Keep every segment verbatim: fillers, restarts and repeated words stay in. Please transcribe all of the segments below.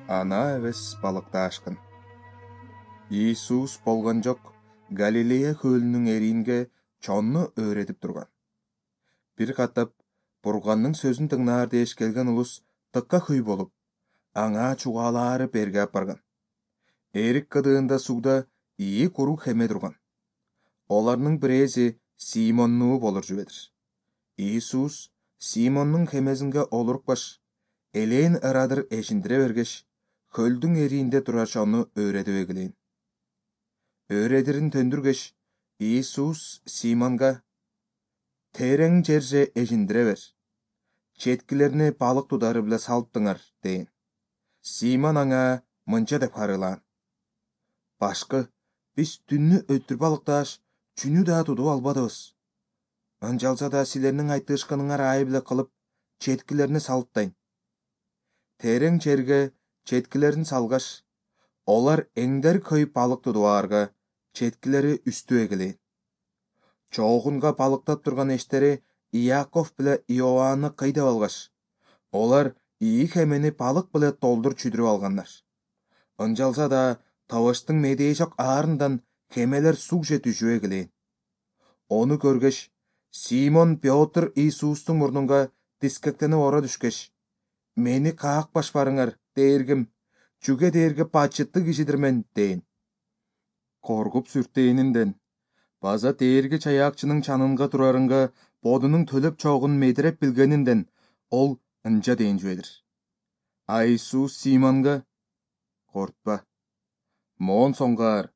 Ана эбес балыктаашкын. Иисус болгон жок Галилея көлүнүн эринге чонну өөретип турган. Бир катап Бурганның сөзүн тыңнаар дээш келген улус тыкка хүй болуп, аңа чугаалаары берге апарган. Эрик кыдыында сууда ии куру хеме турган. Оларның бирээси Симоннуу болур жубедир. Иисус Симондун хемесинге олурукпаш, элээн ырадыр эшиндире бергеш, көлдүн эриинде турар чону өөретип эгилейин. Өөредирин төндүргеш, Иисус Симонга: «Терең жерже эжиндире бер. Четкилерини балык тудары биле салыптыңар», дейин. Симон аңа мынча деп харыылаан: «Башкы, биз түннү өттүр балыктааш, чүнү да тутуп албадыбыз. Ынчалса да силерниң айтышканыңар аай биле кылып, четкилерини салыптайын». Терең жерге четкилерин салгаш, олар эңдер көйүп балык тутуп аларга, четкилери үстү эгилейин. Чоогунга балыктап турган эштери Иаков биле Иоанны кыйдап алгаш, олар ии хемени балык биле толтур чүдүрүп алгандар. Ынчалса да табыштын медейшок аарындан хемелер сугже түшүп эгилейин. Ону көргөч, Симон Пётр Иисустун мурнунга дискектенип ора түшкеш: «Мени каакпаш барыңар, Дээргим, чүге дээрге бачыттуу кишидир мен», дейин. Коркуп сүртээнинден, база дээрги чаяакчынын чанынга турарынга бодунун төлөп чогун медиреп билгенинден ол ынча дейин жибедир. А Иисус Симонго: «Кортпа, моон соңгаар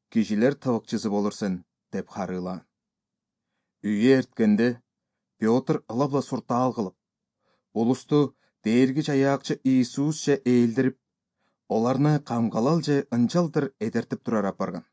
кишилер тыбыкчысы болур сен», деп харыылаан. Үйгө эрткенде Пётр ыла-була суртаал кылып, улусту дээрги чаяакчы Иисус же ээлдирип, оларны камгалалже ынчалдыр эдертип турар апарган.